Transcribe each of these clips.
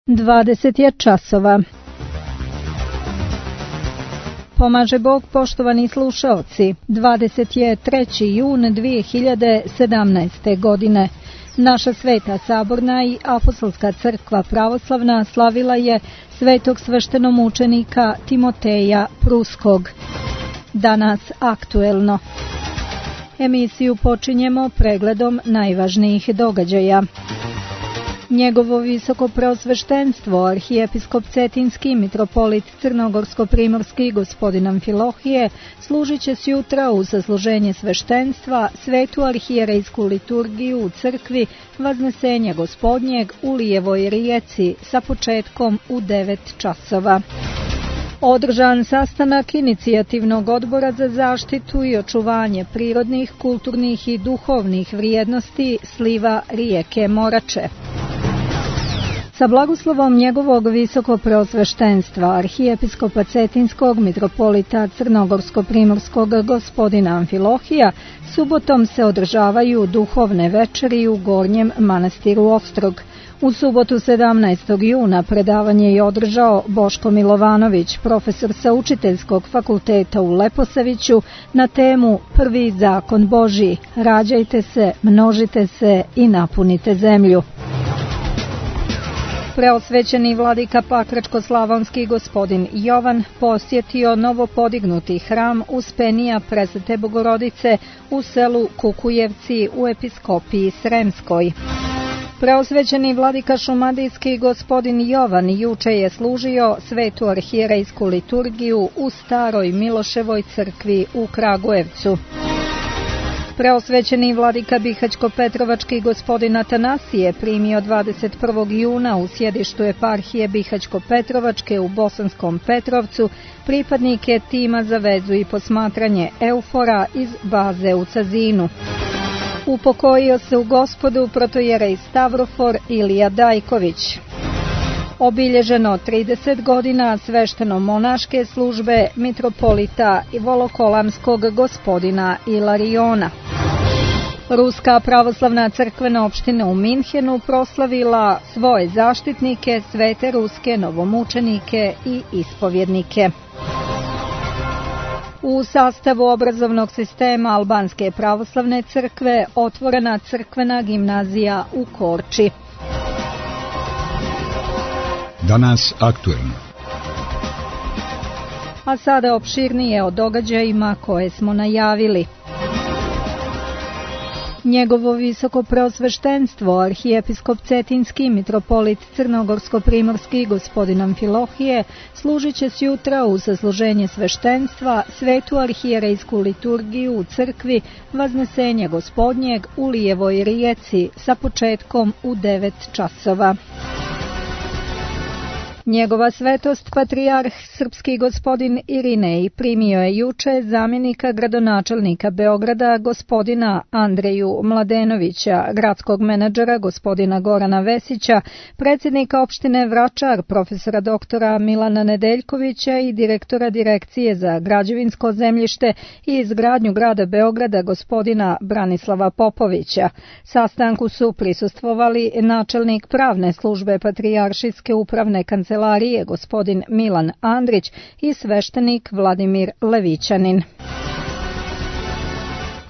20 je časova. Pomaže Bog, poštovani slušaoci. 23. jun 2017. godine. Naša sveta saborna i apostolska crkva pravoslavna slavila je svetog sveštenomučenika Timoteja Pruskog. Danas aktuelno. Emisiju počinjemo pregledom najvažnijih događaja. Njegovo visoko preosveštenstvo, arhijepiskop Cetinski, mitropolit Crnogorsko-primorski gospodin Amfilohije, služit će sjutra u sasluženje sveštenstva svetu arhijerejsku liturgiju u crkvi Vaznesenja Gospodnjeg u Lijevoj rijeci sa početkom u 9 časova. Održan sastanak inicijativnog odbora za zaštitu i očuvanje prirodnih, kulturnih i duhovnih vrijednosti sliva rijeke Morače. Sa blagoslovom njegovog visoko preosveštenstva, arhijepiskopa Cetinskog, mitropolita Crnogorsko-primorskog gospodina Amfilohija, subotom se održavaju duhovne večeri u Gornjem manastiru Ostrog. U subotu 17. juna predavanje je održao Boško Milovanović, profesor sa Učiteljskog fakulteta u Leposaviću, na temu Prvi zakon Božji, rađajte se, množite se i napunite zemlju. Preosvećeni vladika Pakračko-slavonski gospodin Jovan posjetio novopodignuti hram Uspenija Presvete Bogorodice u selu Kukujevci u episkopiji Sremskoj. Preosvećeni vladika šumadijski gospodin Jovan juče je služio svetu arhijerejsku liturgiju u Staroj Miloševoj crkvi u Kragujevcu. Preosvećeni vladika Bihać-Petrovački gospodin Atanasije primio 21. juna u sjedištu eparhije Bihać-Petrovačke u Bosanskom Petrovcu pripadnike tima za vezu i posmatranje Eufora iz baze u Cazinu. Upokojio se u Gospodu protojerej Stavrofor Ilija Dajković. Obilježeno 30 godina svešteno-monaške službe mitropolita Volokolamskog gospodina Ilariona. Ruska pravoslavna crkvena opština u Minhenu proslavila svoje zaštitnike, svete ruske novomučenike i ispovjednike. U sastavu obrazovnog sistema Albanske pravoslavne crkve otvorena crkvena gimnazija u Korči. Danas aktuelno. A sada opširnije o događajima koje smo najavili. Njegovo visoko preosveštenstvo, arhijepiskop Cetinski, mitropolit Crnogorsko-primorski gospodin Amfilohije, služit će sjutra u sasluženje sveštenstva svetu arhijerejsku liturgiju u crkvi Vaznesenja Gospodnjeg u Lijevoj rijeci sa početkom u 9 časova. Njegova svetost patrijarh srpski gospodin Irinej primio je juče zamjenika gradonačelnika Beograda gospodina Andreju Mladenovića, gradskog menadžera gospodina Gorana Vesića, predsjednika opštine Vračar profesora doktora Milana Nedeljkovića i direktora direkcije za građevinsko zemljište i izgradnju grada Beograda gospodina Branislava Popovića. Sastanku su prisustvovali načelnik pravne službe patrijaršijske upravne kancelarije gospodin Milan Andrić i sveštenik Vladimir Levićanin.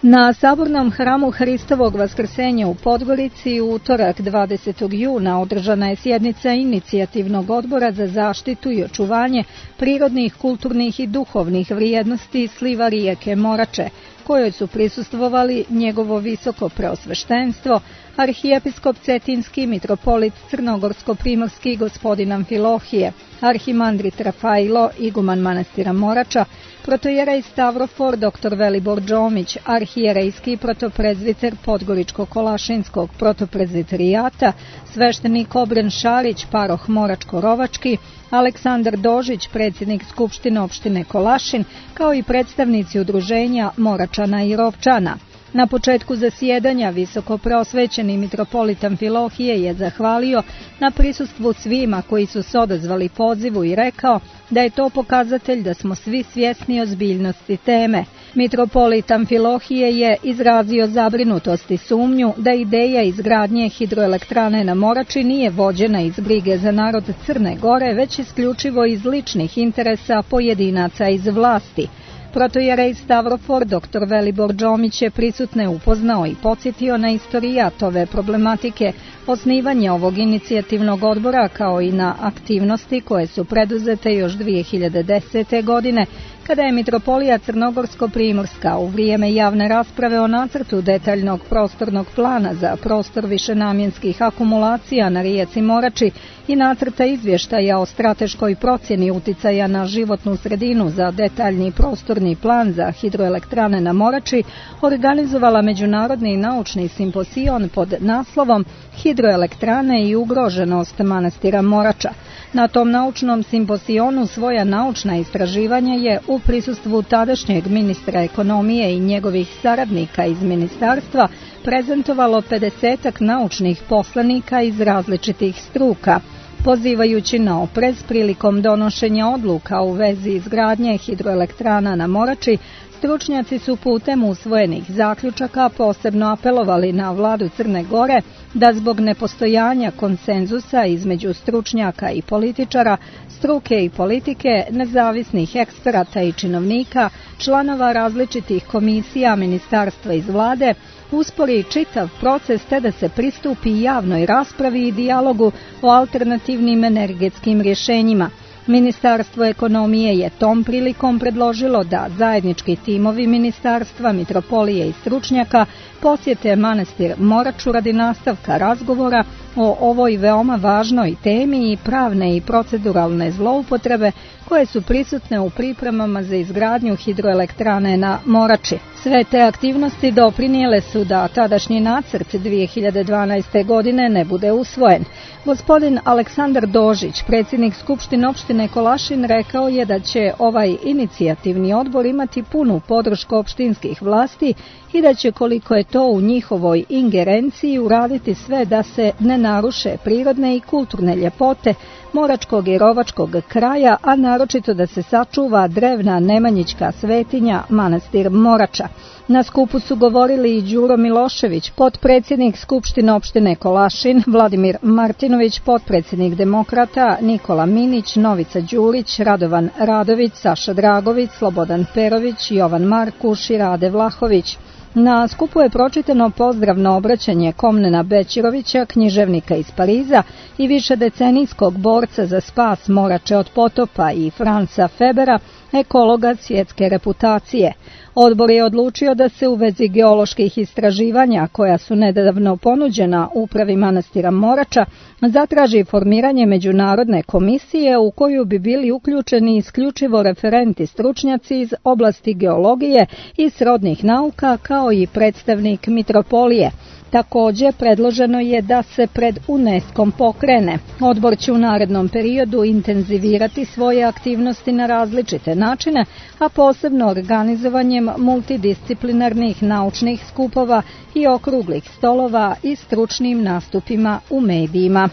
Na sabornom hramu Hristovog vaskrsenja u Podgorici u utorak 20. juna održana je sjednica inicijativnog odbora za zaštitu i očuvanje prirodnih, kulturnih i duhovnih vrijednosti sliva rijeke Morače, kojoj su prisustvovali njegovo visoko preosveštenstvo, arhijepiskop Cetinski, mitropolit Crnogorsko-primorski gospodin Amfilohije, arhimandrit Rafailo, iguman manastira Morača, protojerej Stavrofor dr. Velibor Đomić, arhijerejski protoprezviter Podgoričko-Kolašinskog protoprezviterijata, sveštenik Obren Šarić, paroh Moračko-Rovački, Aleksandar Dožić, predsjednik Skupštine opštine Kolašin, kao i predstavnici udruženja Moračana i Rovčana. Na početku zasjedanja visoko preosvećeni mitropolit Amfilohije je zahvalio na prisustvu svima koji su se odazvali pozivu i rekao da je to pokazatelj da smo svi svjesni ozbiljnosti teme. Mitropolit Amfilohije je izrazio zabrinutost i sumnju da ideja izgradnje hidroelektrane na Morači nije vođena iz brige za narod Crne Gore, već isključivo iz ličnih interesa pojedinaca iz vlasti. Protojerej Stavrofor dr. Velibor Đomić je prisutne upoznao i podsjetio na istorijat ove problematike, osnivanje ovog inicijativnog odbora kao i na aktivnosti koje su preduzete još 2010. godine, kada je Mitropolija Crnogorsko-Primorska u vrijeme javne rasprave o nacrtu detaljnog prostornog plana za prostor višenamjenskih akumulacija na rijeci Morači i nacrta izvještaja o strateškoj procjeni uticaja na životnu sredinu za detaljni prostorni plan za hidroelektrane na Morači, organizovala međunarodni naučni simpozion pod naslovom Hidroelektrane i ugroženost manastira Morača. Na tom naučnom simpozionu svoja naučna istraživanja je u prisustvu tadašnjeg ministra ekonomije i njegovih saradnika iz ministarstva prezentovalo 50 naučnih poslanika iz različitih struka. Pozivajući na oprez prilikom donošenja odluka u vezi izgradnje hidroelektrana na Morači, stručnjaci su putem usvojenih zaključaka posebno apelovali na vladu Crne Gore da zbog nepostojanja konsenzusa između stručnjaka i političara, struke i politike, nezavisnih eksperata i činovnika, članova različitih komisija ministarstva iz vlade, uspori čitav proces te da se pristupi javnoj raspravi i dijalogu o alternativnim energetskim rješenjima. Ministarstvo ekonomije je tom prilikom predložilo da zajednički timovi ministarstva, mitropolije i stručnjaka posjete manastir Moraču radi nastavka razgovora o ovoj veoma važnoj temi i pravne i proceduralne zloupotrebe koje su prisutne u pripremama za izgradnju hidroelektrane na Morači. Sve te aktivnosti doprinijele su da tadašnji nacrt 2012. godine ne bude usvojen. Gospodin Aleksandar Dožić, predsjednik Skupštine opštine Kolašin, rekao je da će ovaj inicijativni odbor imati punu podršku opštinskih vlasti i da će, koliko je to u njihovoj ingerenciji, uraditi sve da se ne naruše prirodne i kulturne ljepote moračkog i rovačkog kraja, a naročito da se sačuva drevna nemanjićka svetinja manastir Morača. Na skupu su govorili i Đuro Milošević, potpredsjednik Skupštine opštine Kolašin, Vladimir Martinović, potpredsjednik Demokrata, Nikola Minić, Novica Đurić, Radovan Radović, Saša Dragović, Slobodan Perović, Jovan Markuš i Rade Vlahović. Na skupu je pročitano pozdravno obraćanje Komnena Bećirovića, književnika iz Pariza i višedecenijskog borca za spas Morače od potopa, i Franca Febera, ekologa svjetske reputacije. Odbor je odlučio da se u vezi geoloških istraživanja, koja su nedavno ponuđena upravi manastira Morača, zatraži formiranje međunarodne komisije u koju bi bili uključeni isključivo referenti stručnjaci iz oblasti geologije i srodnih nauka, kao i predstavnik mitropolije. Također, predloženo je da se pred UNESCO-om pokrene. Odbor će u narednom periodu intenzivirati svoje aktivnosti na različite načine, a posebno organizovanjem multidisciplinarnih naučnih skupova i okruglih stolova i stručnim nastupima u medijima.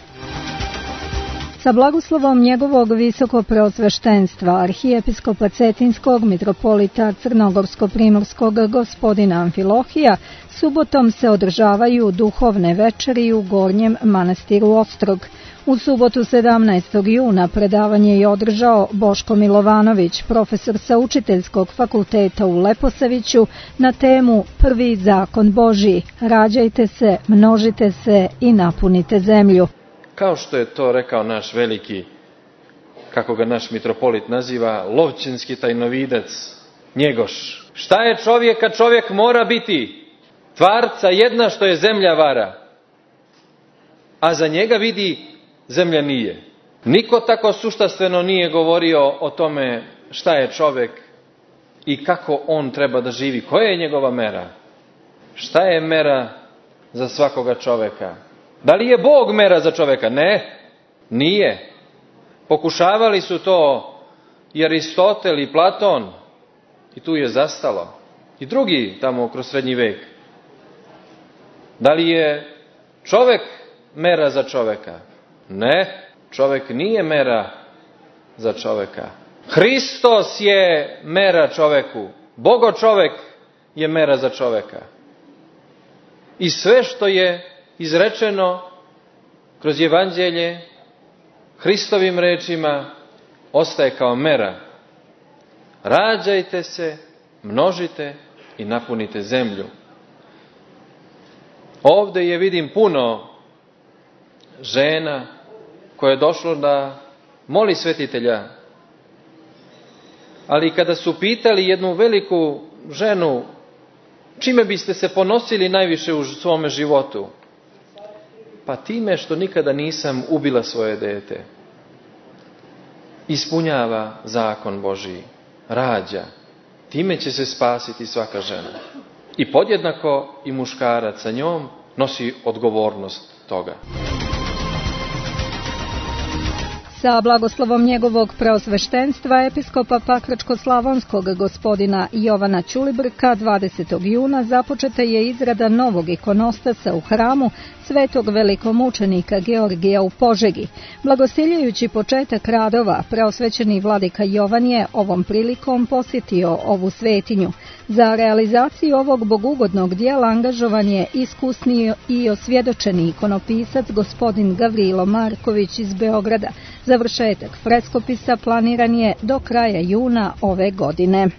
Sa blagoslovom njegovog visokopreosveštenstva arhijepiskopa Cetinskog mitropolita Crnogorsko-Primorskog gospodina Amfilohija, subotom se održavaju duhovne večeri u Gornjem manastiru Ostrog. U subotu 17. juna predavanje je održao Boško Milovanović, profesor sa Učiteljskog fakulteta u Leposaviću, na temu Prvi zakon Božji: rađajte se, množite se i napunite zemlju. Kao što je to rekao naš veliki, kako ga naš mitropolit naziva, lovčinski tajnovidac Njegoš. Šta je čovjek kad čovjek mora biti? Tvarca jedna što je zemlja vara, a za njega vidi zemlja nije. Niko tako suštastveno nije govorio o tome šta je čovjek i kako on treba da živi. Koja je njegova mera? Šta je mera za svakoga čovjeka? Da li je Bog mera za čovjeka? Ne, nije. Pokušavali su to i Aristotel i Platon i tu je zastalo. I drugi tamo kroz srednji vek. Da li je čovjek mera za čovjeka? Ne, čovjek nije mera za čovjeka. Hristos je mera čovjeku. Bogo čovek je mera za čoveka. I sve što je izrečeno kroz evanđelje Hristovim rečima ostaje kao mera. Rađajte se, množite i napunite zemlju. Ovde je vidim puno žena koje je došlo da moli svetitelja. Ali kada su pitali jednu veliku ženu čime biste se ponosili najviše u svome životu, pa time što nikada nisam ubila svoje dete. Ispunjava zakon Božiji, rađa, time će se spasiti svaka žena. I podjednako i muškarac sa njom nosi odgovornost toga. Sa blagoslovom njegovog preosveštenstva episkopa Pakračko-slavonskog gospodina Jovana Ćulibrka 20. juna započeta je izrada novog ikonostasa u hramu svetog velikomučenika Georgija u Požegi. Blagostiljajući početak radova, preosvećeni vladika Jovan je ovom prilikom posjetio ovu svetinju. Za realizaciju ovog bogugodnog dijela angažovan je iskusni i osvjedočeni ikonopisac gospodin Gavrilo Marković iz Beograda. Završetak freskopisa planiran je do kraja juna ove godine.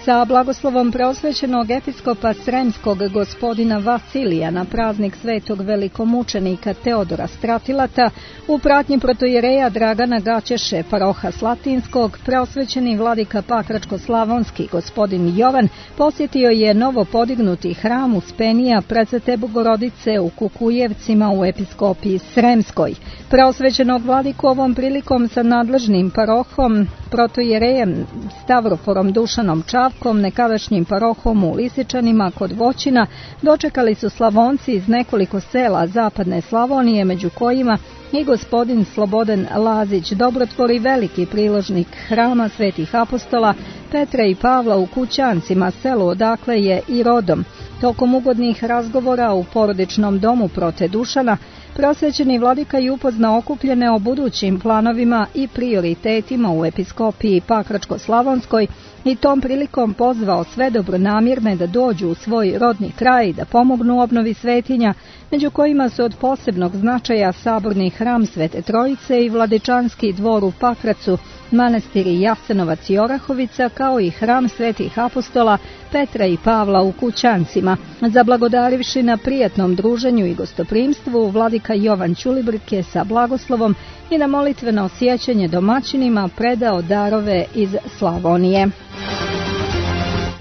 Sa blagoslovom preosvećenog episkopa Sremskog gospodina Vasilija na praznik svetog velikomučenika Teodora Stratilata u pratnji protojereja Dragana Gaćeše, paroha Slatinskog, preosvećeni vladika Pakračko-slavonski gospodin Jovan posjetio je novo podignuti hram Uspenija Presvete Bogorodice u Kukujevcima u episkopiji Sremskoj. Preosvećenog vladiku ovom prilikom sa nadležnim parohom, protojerejem Stavroforom Dušanom Čavkom, nekadašnjim parohom u Lisičanima kod Voćina, dočekali su Slavonci iz nekoliko sela zapadne Slavonije, među kojima i gospodin Slobodan Lazić, dobrotvor i veliki priložnik hrama svetih apostola Petra i Pavla u Kućancima, selu odakle je i rodom. Tokom ugodnih razgovora u porodičnom domu prote Dušana, prosvećeni vladika je upoznao okupljene o budućim planovima i prioritetima u episkopiji Pakračko-slavonskoj i tom prilikom pozvao sve dobronamjerne da dođu u svoj rodni kraj, da pomognu obnovi svetinja, među kojima su od posebnog značaja saborni hram Svete Trojice i vladičanski dvor u Pakracu, manastiri Jasenovac i Orahovica, kao i hram svetih apostola Petra i Pavla u Kućancima. Zablagodarivši na prijatnom druženju i gostoprimstvu, vladika Jovan Ćulibrk je sa blagoslovom i na molitveno sjećanje domaćinima predao darove iz Slavonije.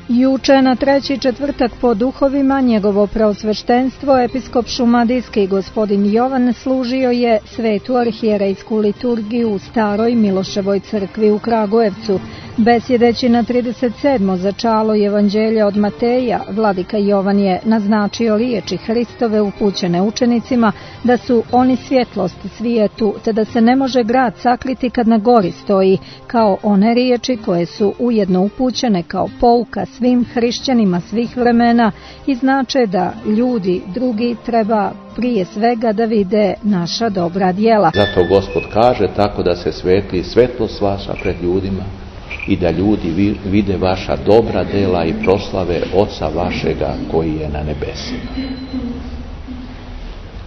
Juče na treći četvrtak po duhovima njegovo preosveštenstvo episkop šumadijski gospodin Jovan služio je svetu arhijerejsku liturgiju u staroj Miloševoj crkvi u Kragujevcu. Besjedeći na 37. začalo evanđelja od Mateja, vladika Jovan je naznačio riječi Hristove upućene učenicima da su oni svjetlost svijetu, te da se ne može grad sakriti kad na gori stoji, kao one riječi koje su ujedno upućene kao pouka svim hrišćanima svih vremena i znače da ljudi drugi treba prije svega da vide naša dobra djela. Zato Gospod kaže tako da se svetli svetlost vaša pred ljudima i da ljudi vide vaša dobra djela i proslave Oca vašega koji je na nebesima.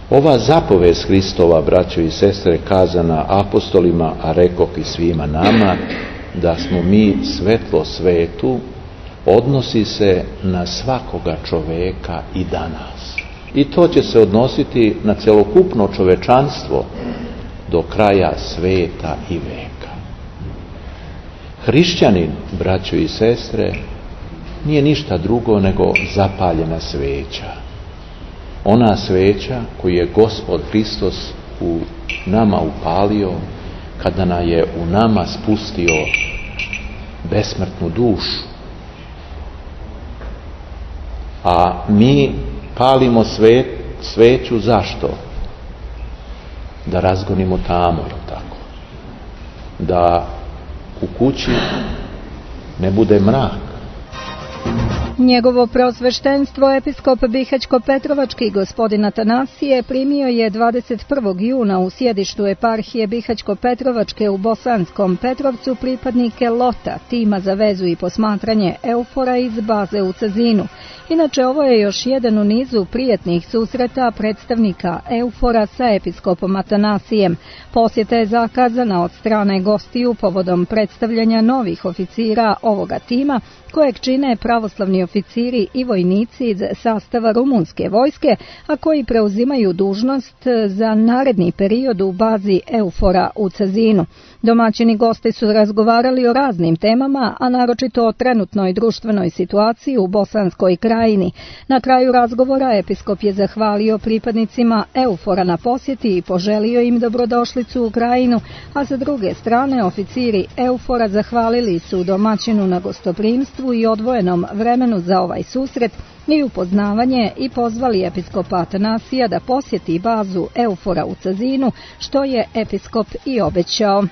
Ova zapovest Hristova, braćo i sestre, kazana apostolima, a rekoh i svima nama, da smo mi svetlo svetu, odnosi se na svakoga čoveka i danas. I to će se odnositi na celokupno čovečanstvo do kraja sveta i veka. Hrišćanin, braćo i sestre, nije ništa drugo nego zapaljena sveća. Ona sveća koju je Gospod Hristos u nama upalio kada nam je u nama spustio besmrtnu dušu. A mi palimo sveću zašto? Da razgonimo tamo, tako. Da u kući ne bude mrak. Njegovo preosveštenstvo episkop Bihaćko-Petrovački gospodin Atanasije primio je 21. juna u sjedištu eparhije Bihaćko-Petrovačke u Bosanskom Petrovcu pripadnike LOTA, tima za vezu i posmatranje EUFOR-a iz baze u Cazinu. Inače, ovo je još jedan u nizu prijetnih susreta predstavnika EUFOR-a sa episkopom Atanasijem. Posjeta je zakazana od strane gostiju povodom predstavljanja novih oficira ovoga tima, kojeg čine pravoslavni oficiri i vojnici iz sastava rumunske vojske, a koji preuzimaju dužnost za naredni period u bazi EUFOR-a u Cazinu. Domaćini gosti su razgovarali o raznim temama, a naročito o trenutnoj društvenoj situaciji u Bosanskoj krajini. Na kraju razgovora episkop je zahvalio pripadnicima EUFOR-a na posjeti i poželio im dobrodošlicu u krajinu, a sa druge strane oficiri EUFOR-a zahvalili su domaćinu na gostoprimstvu i odvojenom vremenu za ovaj susret i upoznavanje i pozvali episkopa Atanasija da posjeti bazu EUFOR-a u Cazinu, što je episkop i obećao.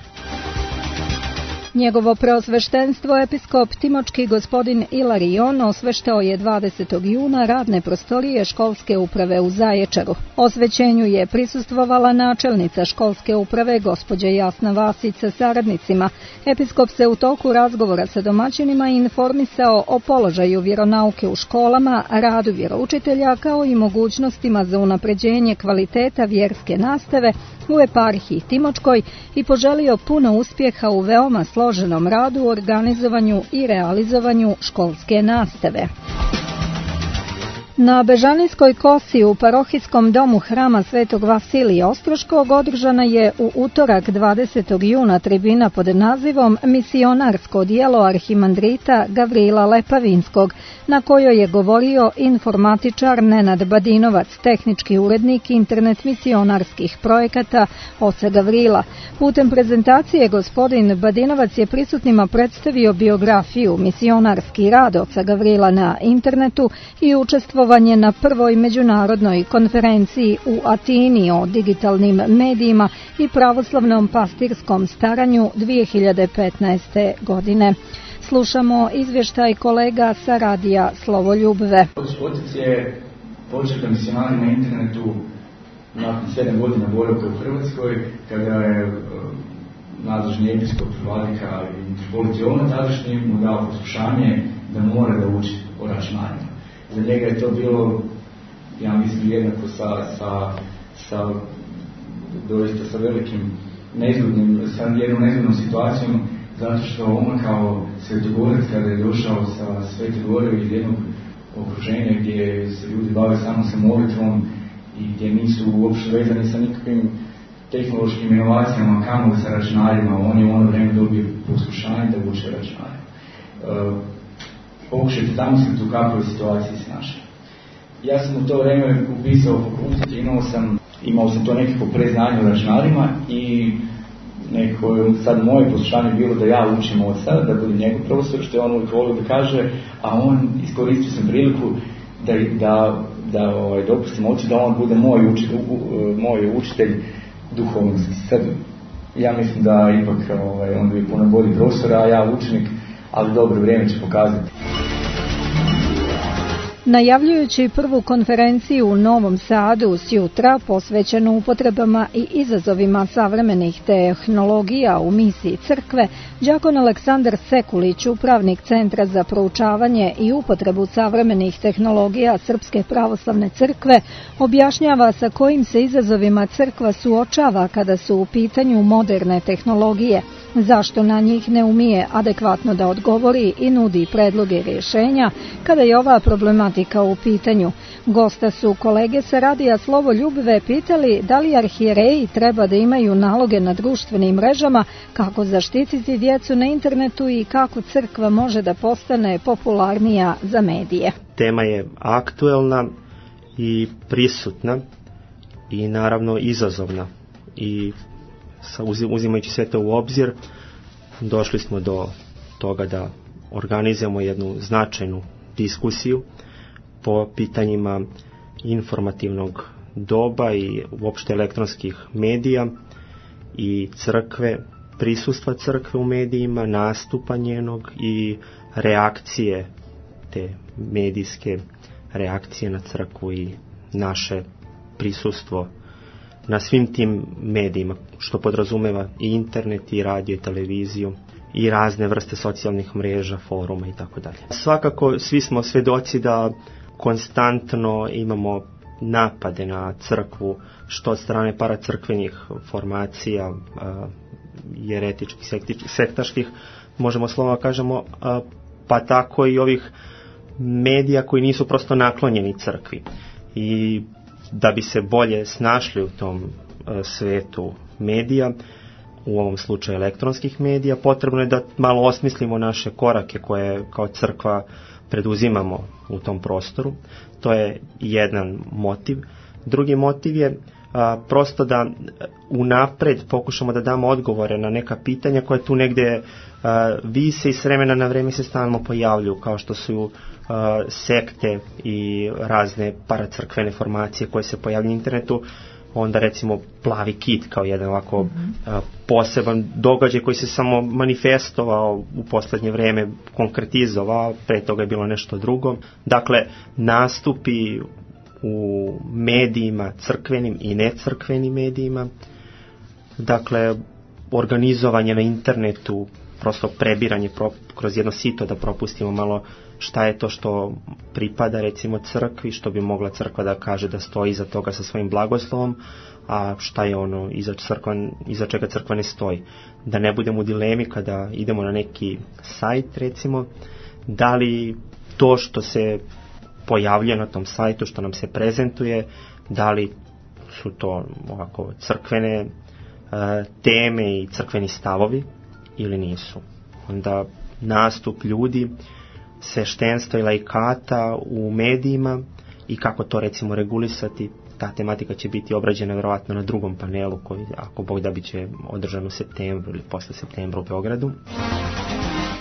Njegovo preosveštenstvo episkop Timočki gospodin Ilarion osveštao je 20. juna radne prostorije školske uprave u Zaječaru. Osvećenju je prisustvovala načelnica školske uprave gospođa Jasna Vasić sa saradnicima. Episkop se u toku razgovora sa domaćinima informisao o položaju vjeronauke u školama, radu vjeroučitelja kao i mogućnostima za unapređenje kvaliteta vjerske nastave u eparhiji Timočkoj i poželio puno uspjeha u veoma složenom radu, organizovanju i realizovanju školske nastave. Na Bežanijskoj kosi u parohijskom domu hrama Svetog Vasilija Ostroškog održana je u utorak 20. juna tribina pod nazivom Misionarsko djelo arhimandrita Gavrila Lepavinskog, na kojoj je govorio informatičar Nenad Badinovac, tehnički urednik internet misionarskih projekata Oca Gavrila. Putem prezentacije gospodin Badinovac je prisutnima predstavio biografiju, misionarski rad Oca Gavrila na internetu i učestvovanje na prvoj međunarodnoj konferenciji u Atini o digitalnim medijima i pravoslavnom pastirskom staranju 2015. godine. Slušamo izvještaj kolega sa radija Slovoljubve. Otac je počeo da misionari na internetu nakon 7 godina boravka u Hrvatskoj, kada je nadležni episkop Vladika i mitropolit Jovan tadašnji mu dao poslušanje da mora da uči o računanju. Za njega je to bilo, ja mislim, jednako doista sa velikim sa jednom nezgodnom situacijom, zato što on kao svetogorac, kada je došao sa Svete Gore iz jednog okruženja gdje se ljudi bave samo sa molitvom i gdje nisu uopšte vezani sa nikakvim tehnološkim inovacijama, kamoli sa računarima, on je u ono vreme dobio poslušanje da uče računare. Pokušajte zamisliti u kakvoj situaciji se našli. Ja sam u to vreme upisao fakultet, imao sam to nekako preznanje u računarima i nekako sad moje poslušanje bilo da ja učim oca, da budem njegov profesor, što je on uvijek volio da kaže, a on iskoristio sam priliku da dopustim ocu da on bude moj učitelj duhovnosti. Sad, ja mislim da ipak on bi puno bolji profesor, a ja učenik, ali dobro, vrijeme će pokazati. Najavljujući prvu konferenciju u Novom Sadu sjutra posvećenu upotrebama i izazovima savremenih tehnologija u misiji crkve, đakon Aleksandar Sekulić, upravnik Centra za proučavanje i upotrebu savremenih tehnologija Srpske pravoslavne crkve, objašnjava sa kojim se izazovima crkva suočava kada su u pitanju moderne tehnologije, zašto na njih ne umije adekvatno da odgovori i nudi predloge rješenja kada je ova problematika u pitanju. Gosta su kolege sa radija Slovoljubve pitali da li arhijereji treba da imaju naloge na društvenim mrežama, kako zaštititi djecu na internetu i kako crkva može da postane popularnija za medije. Tema je aktuelna i prisutna i naravno izazovna i uzimajući sve to u obzir, došli smo do toga da organizujemo jednu značajnu diskusiju po pitanjima informativnog doba i uopšte elektronskih medija i crkve, prisustva crkve u medijima, nastupa njenog i reakcije te medijske reakcije na crkvu i naše prisustvo na svim tim medijima, što podrazumeva i internet, i radio, i televiziju, i razne vrste socijalnih mreža, foruma i tako dalje. Svakako svi smo svedoci da konstantno imamo napade na crkvu, što od strane paracrkvenih formacija, jeretičkih, sektaških, možemo slova kažemo, pa tako i ovih medija koji nisu prosto naklonjeni crkvi. I da bi se bolje snašli u tom svetu medija, u ovom slučaju elektronskih medija, potrebno je da malo osmislimo naše korake koje kao crkva preduzimamo u tom prostoru. To je jedan motiv. Drugi motiv je prosto da unapred pokušamo da damo odgovore na neka pitanja koje tu negde vise i s vremena na vreme se stalno pojavljuju, kao što su sekte i razne paracrkvene formacije koje se pojavljaju na internetu. Onda recimo plavi kit kao jedan ovako poseban događaj koji se samo manifestovao u poslednje vreme, konkretizovao, pre toga je bilo nešto drugo. Dakle, nastupi u medijima, crkvenim i necrkvenim medijima, dakle, organizovanje na internetu, prosto prebiranje kroz jedno sito da propustimo malo šta je to što pripada recimo crkvi, što bi mogla crkva da kaže da stoji iza toga sa svojim blagoslovom, a šta je ono iza čega crkva ne stoji. Da ne budemo u dilemi kada idemo na neki sajt recimo, da li to što se pojavljuje na tom sajtu, što nam se prezentuje, da li su to ovako crkvene teme i crkveni stavovi ili nisu. Onda nastup ljudi, sveštenstva i laikata u medijima i kako to recimo regulisati, ta tematika će biti obrađena vjerovatno na drugom panelu koji, ako Bog da, biće održan u septembru ili posle septembra u Beogradu.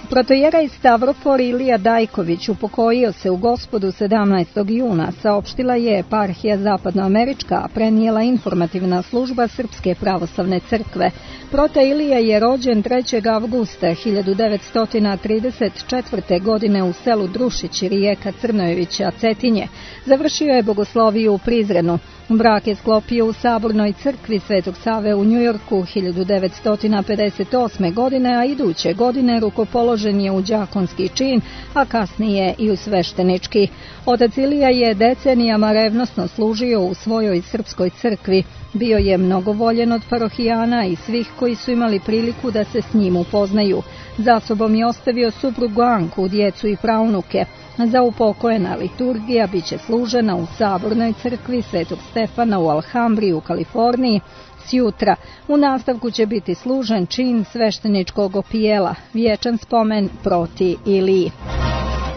Protojeraj Stavrofor Ilija Dajković upokojio se u Gospodu 17. juna, saopštila je eparhija Zapadnoamerička, a prenijela informativna služba Srpske pravoslavne crkve. Prota Ilija je rođen 3. avgusta 1934. godine u selu Drušić, rijeka Crnojevića, Cetinje. Završio je bogosloviju u Prizrenu. Brak je sklopio u Sabornoj crkvi Svetog Save u Njujorku 1958. godine, a iduće godine rukopoložen je u đakonski čin, a kasnije i u sveštenički. Otac Ilija je decenijama revnosno služio u svojoj srpskoj crkvi. Bio je mnogo voljen od parohijana i svih koji su imali priliku da se s njim upoznaju. Za sobom je ostavio suprugu Anku, djecu i praunuke. Za upokojena liturgija biće služena u Sabornoj crkvi Svetog Stefana u Alhambri u Kaliforniji. Sjutra u nastavku će biti služen čin svešteničkog opijela, vječan spomen proti Iliji.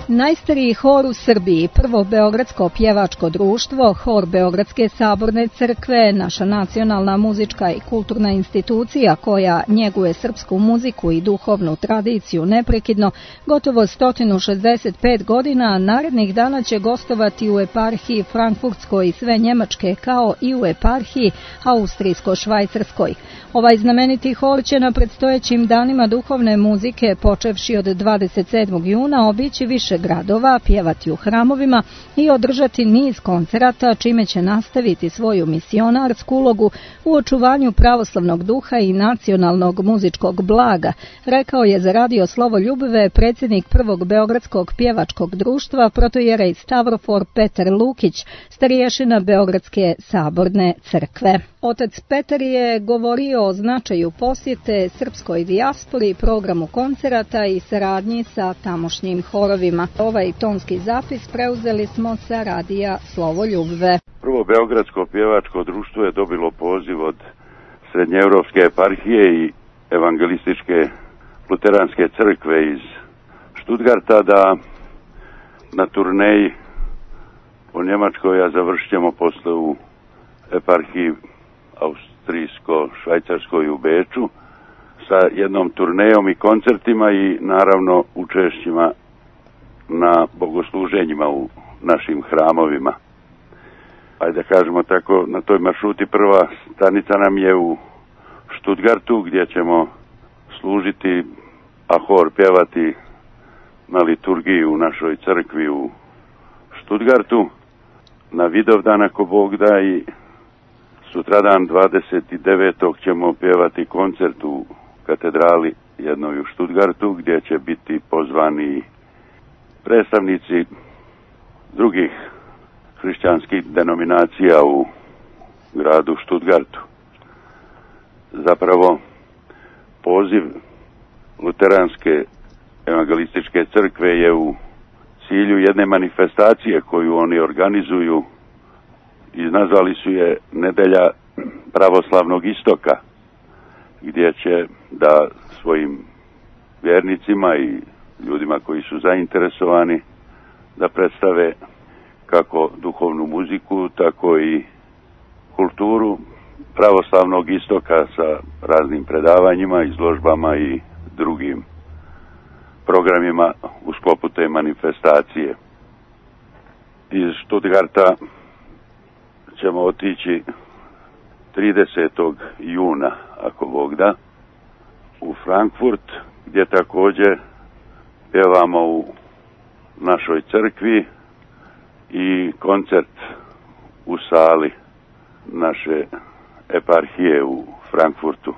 Najstariji hor u Srbiji, prvo beogradsko pjevačko društvo, hor Beogradske saborne crkve, naša nacionalna muzička i kulturna institucija koja njeguje srpsku muziku i duhovnu tradiciju neprekidno, gotovo 165 godina, narednih dana će gostovati u eparhiji Frankfurtskoj i sve Njemačke, kao i u eparhiji Austrijsko-Švajcarskoj. Ovaj znameniti hor će na predstojećim danima duhovne muzike, počevši od 27. juna, obići više gradova, pjevati u hramovima i održati niz koncerata, čime će nastaviti svoju misionarsku ulogu u očuvanju pravoslavnog duha i nacionalnog muzičkog blaga, rekao je za radio Slovoljubive predsjednik prvog beogradskog pjevačkog društva protojerej Stavrofor Petar Lukić, starješina Beogradske saborne crkve. Otac Petar je govorio o značaju posjete srpskoj dijaspori, programu koncerata i saradnji sa tamošnjim horovima. Ovaj tonski zapis preuzeli smo sa radija Slovoljubive. Prvo beogradsko pjevačko društvo je dobilo poziv od Srednjeevropske eparhije i evangelističke luteranske crkve iz Stuttgarta da na turneji u Njemačkoj, a završit ćemo posle u eparhiji Austrijsko-Švajcarskoj u Beču sa jednom turnejom i koncertima i naravno učešćima na bogosluženjima u našim hramovima. Ajde da kažemo tako, na toj maršruti prva stanica nam je u Stuttgartu gdje ćemo služiti, a hor pjevati na liturgiji u našoj crkvi u Stuttgartu na Vidovdan ako Bog da, i sutradan 29. ćemo pjevati koncert u katedrali jednoj u Stuttgartu, gdje će biti pozvani predstavnici drugih hrišćanskih denominacija u gradu Stuttgartu. Zapravo, poziv Luteranske evangelističke crkve je u cilju jedne manifestacije koju oni organizuju i nazvali su je Nedelja pravoslavnog istoka, gdje će da svojim vjernicima i ljudima koji su zainteresovani da predstave kako duhovnu muziku, tako i kulturu pravoslavnog istoka sa raznim predavanjima, izložbama i drugim programima u sklopu te manifestacije. Iz Stuttgarta ćemo otići 30. juna, ako Bog da, u Frankfurt, gdje također pjevamo u našoj crkvi i koncert u sali naše eparhije u Frankfurtu.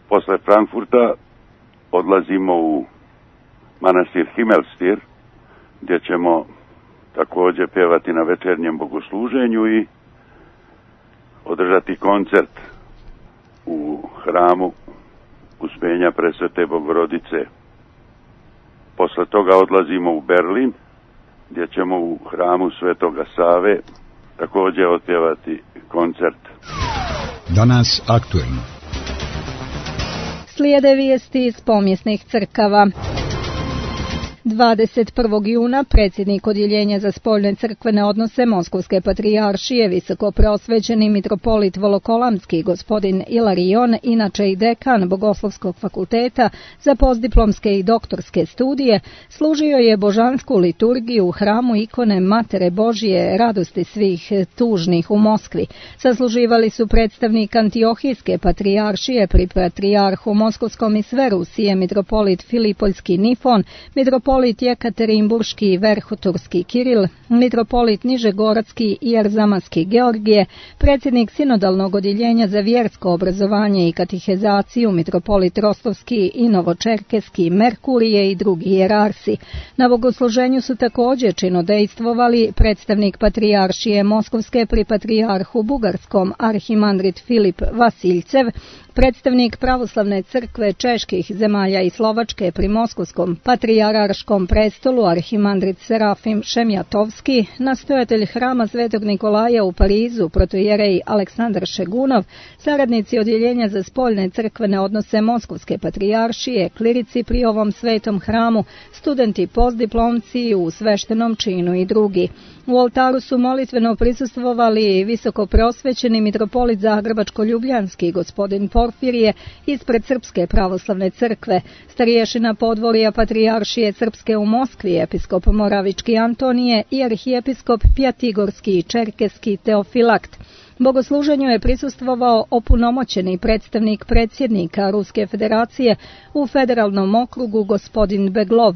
Posle Frankfurta odlazimo u manastir Himmelstir, gdje ćemo također pjevati na večernjem bogosluženju i održati koncert u hramu Uspenja Presvete Bogorodice. Posle toga odlazimo u Berlin, gdje ćemo u hramu Svetoga Save također otpjevati koncert. Danas aktuelno. Slijede vijesti iz pomjesnih crkava. 21. juna predsjednik Odjeljenja za spoljne crkvene odnose Moskovske patrijaršije, visoko prosvećeni mitropolit Volokolamski gospodin Ilarion, inače i dekan Bogoslovskog fakulteta za postdiplomske i doktorske studije, služio je božansku liturgiju u hramu ikone Matere Božje radosti svih tužnih u Moskvi. Sasluživali su predstavnik Antiohijske patrijaršije pri patrijarhu Moskovskom i sve Rusije mitropolit Filipoljski Nifon, mitropolit Jekaterinburški i Verhoturski Kiril, mitropolit Nižegorodski i Erzamaski Georgije, predsjednik Sinodalnog odjeljenja za vjersko obrazovanje i katehizaciju mitropolit Rostovski i Novočerkeski Merkurije i drugi hijerarsi. Na bogosluženju su također činodejstvovali predstavnik patrijaršije Moskovske pri patrijarhu Bugarskom arhimandrit Filip Vasiljcev, predstavnik pravoslavne crkve čeških zemalja i Slovačke pri Moskovskom patrijarškom prestolu arhimandrit Serafim Šemjatovski, nastojatelj hrama Svetog Nikolaja u Parizu protojerej Aleksandar Šegunov, saradnici Odjeljenja za spoljne crkvene odnose Moskovske patrijaršije, klirici pri ovom svetom hramu, studenti postdiplomci u sveštenom činu i drugi. U oltaru su molitveno prisustvovali visoko prosvećeni mitropolit Zagrebačko-Ljubljanski gospodin Porfirije ispred Srpske pravoslavne crkve, starješina podvorja patrijaršije Srpske u Moskvi, episkop Moravički Antonije i arhijepiskop Pjatigorski i Čerkeski Teofilakt. Bogosluženju je prisustvovao opunomoćeni predstavnik predsjednika Ruske federacije u federalnom okrugu gospodin Beglov.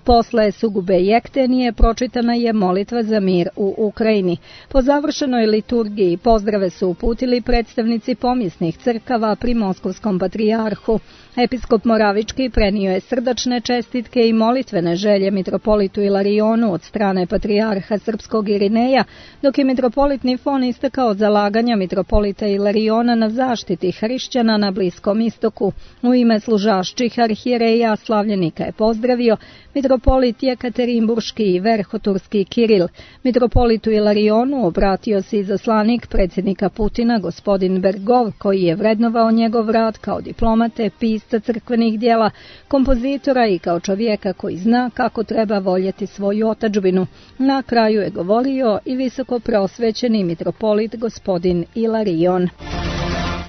Posle sugube jektenije pročitana je molitva za mir u Ukrajini. Po završenoj liturgiji pozdrave su uputili predstavnici pomjesnih crkava pri Moskovskom patrijarhu. Episkop Moravički prenio je srdačne čestitke i molitvene želje mitropolitu Ilarionu od strane patrijarha Srpskog Irineja, dok je mitropolit Nifon istakao zalaganja mitropolita Ilariona na zaštiti hrišćana na Bliskom istoku. U ime služašćih arhijereja slavljenika je pozdravio mitropolit Jekaterinburški i Verhoturski Kiril. Mitropolitu Ilarionu obratio se izaslanik predsjednika Putina gospodin Bergov, koji je vrednovao njegov rad kao diplomate, pisca crkvenih djela, kompozitora i kao čovjeka koji zna kako treba voljeti svoju otadžbinu. Na kraju je govorio i visoko prosvećeni mitropolit gospodin Ilarion.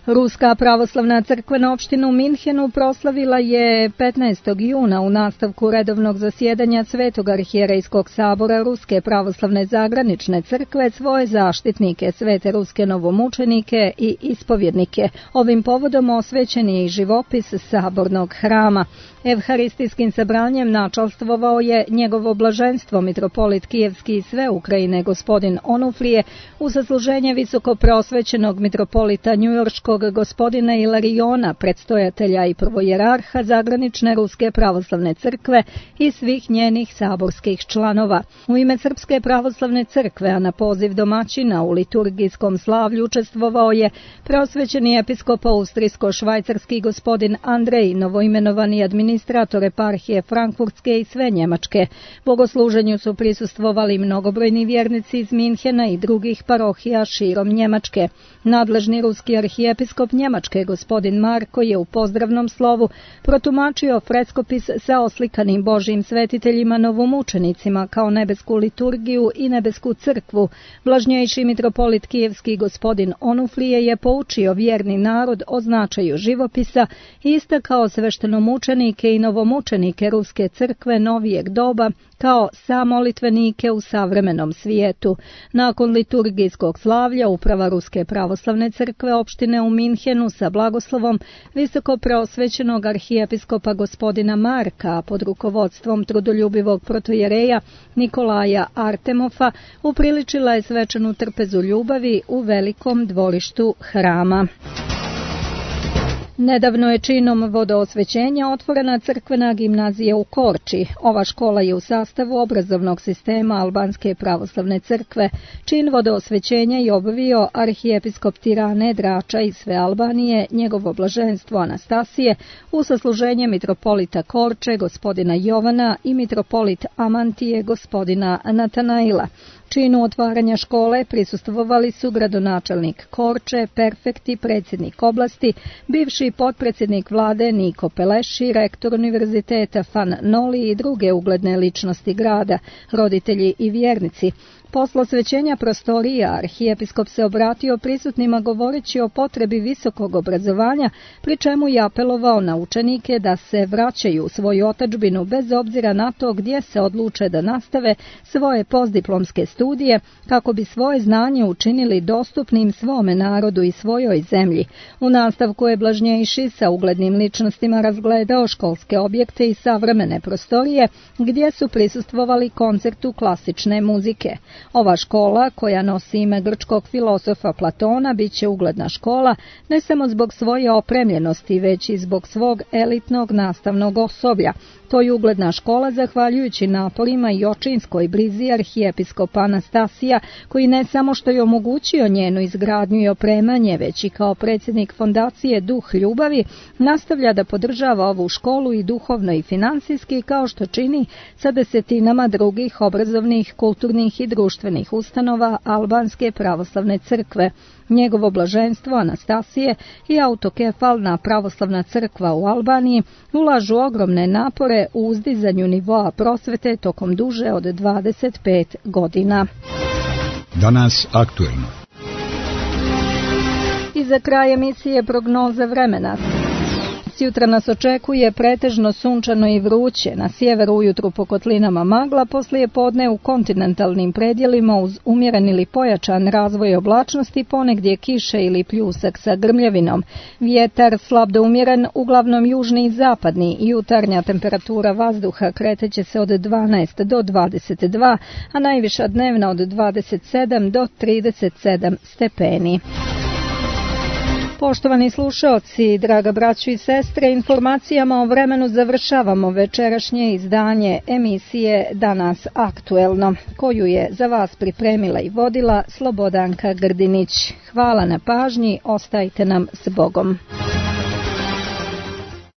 Ruska pravoslavna crkvena opština u Minhenu proslavila je 15. juna u nastavku redovnog zasjedanja Svetog arhijerejskog sabora Ruske pravoslavne zagranične crkve svoje zaštitnike, svete ruske novomučenike i ispovjednike. Ovim povodom osvećen je i živopis sabornog hrama. Evharistijskim sabranjem načalstvovao je njegovo blaženstvo mitropolit Kijevski i sve Ukrajine gospodin Onufrije u zasluženje visoko preosvećenog mitropolita njujorškog gospodina Ilariona, predstojatelja i prvojerarha zagranične Ruske pravoslavne crkve i svih njenih saborskih članova. U ime Srpske pravoslavne crkve, a na poziv domaćina u liturgijskom slavlju učestvovao je preosvećeni episkop austrijsko-švajcarski gospodin Andrej, novoimenovani administrator eparhije Frankfurtske i sve Njemačke. Bogosluženju su prisustvovali mnogobrojni vjernici iz Minhena i drugih parohija širom Njemačke. Nadležni ruski arhijepiskop Njemačke gospodin Marko je u pozdravnom slovu protumačio freskopis sa oslikanim Božjim svetiteljima novomučenicima kao nebesku liturgiju i nebesku crkvu. Blažnjejši mitropolit Kijevski gospodin Onufrije je poučio vjerni narod o značaju živopisa i istakao sveštenomučenike i novomučenike Ruske crkve novijeg doba kao samolitvenike u savremenom svijetu. Nakon liturgijskog slavlja uprava Ruske pravoslavne crkve opštine u Minhenu sa blagoslovom visoko preosvećenog arhijepiskopa gospodina Marka pod rukovodstvom trudoljubivog protojereja Nikolaja Artemofa upriličila je svečanu trpezu ljubavi u velikom dvorištu hrama. Nedavno je činom vodoosvećenja otvorena crkvena gimnazija u Korči. Ova škola je u sastavu obrazovnog sistema Albanske pravoslavne crkve. Čin vodoosvećenja je obavio arhijepiskop Tirane, Drača i sve Albanije, njegovo blaženstvo Anastasije, u sasluženje mitropolita Korče, gospodina Jovana i mitropolit Amantije, gospodina Natanaila. Činu otvaranja škole prisustvovali su gradonačelnik Korče, perfekti, predsjednik oblasti, bivši potpredsjednik vlade Niko Peleši, rektor univerziteta Fan Noli i druge ugledne ličnosti grada, roditelji i vjernici. Posle osvećenja prostorija arhijepiskop se obratio prisutnima govoreći o potrebi visokog obrazovanja, pri čemu je apelovao na učenike da se vraćaju u svoju otadžbinu bez obzira na to gdje se odluče da nastave svoje postdiplomske studije, kako bi svoje znanje učinili dostupnim svome narodu i svojoj zemlji. U nastavku je blažnjejši sa uglednim ličnostima razgledao školske objekte i savremene prostorije gdje su prisustvovali koncertu klasične muzike. Ova škola, koja nosi ime grčkog filosofa Platona, bit će ugledna škola ne samo zbog svoje opremljenosti, već i zbog svog elitnog nastavnog osoblja. To je ugledna škola zahvaljujući naporima i očinskoj brizi arhijepiskopa Anastasija, koji ne samo što je omogućio njenu izgradnju i opremanje, već i kao predsjednik fondacije Duh ljubavi, nastavlja da podržava ovu školu i duhovno i finansijski, kao što čini sa desetinama drugih obrazovnih, kulturnih i društvenih ustanova Albanske pravoslavne crkve. Njegovo blaženstvo Anastasije i autokefalna pravoslavna crkva u Albaniji ulažu ogromne napore u uzdizanju nivoa prosvete tokom duže od 25 godina. Danas aktuelno. I za kraj emisije prognoza vremena. Jutra nas očekuje pretežno sunčano i vruće, na sjeveru ujutru po kotlinama magla, poslije podne u kontinentalnim predjelima uz umjeren ili pojačan razvoj oblačnosti, ponegdje kiše ili pljusak sa grmljavinom. Vjetar slab do umjeren, uglavnom južni i zapadni, jutarnja temperatura vazduha kreteće se od 12 do 22, a najviša dnevna od 27 do 37 stepeni. Poštovani slušaoci, draga braćo i sestre, informacijama o vremenu završavamo večerašnje izdanje emisije Danas aktuelno, koju je za vas pripremila i vodila Slobodanka Grdinić. Hvala na pažnji, ostajte nam s Bogom.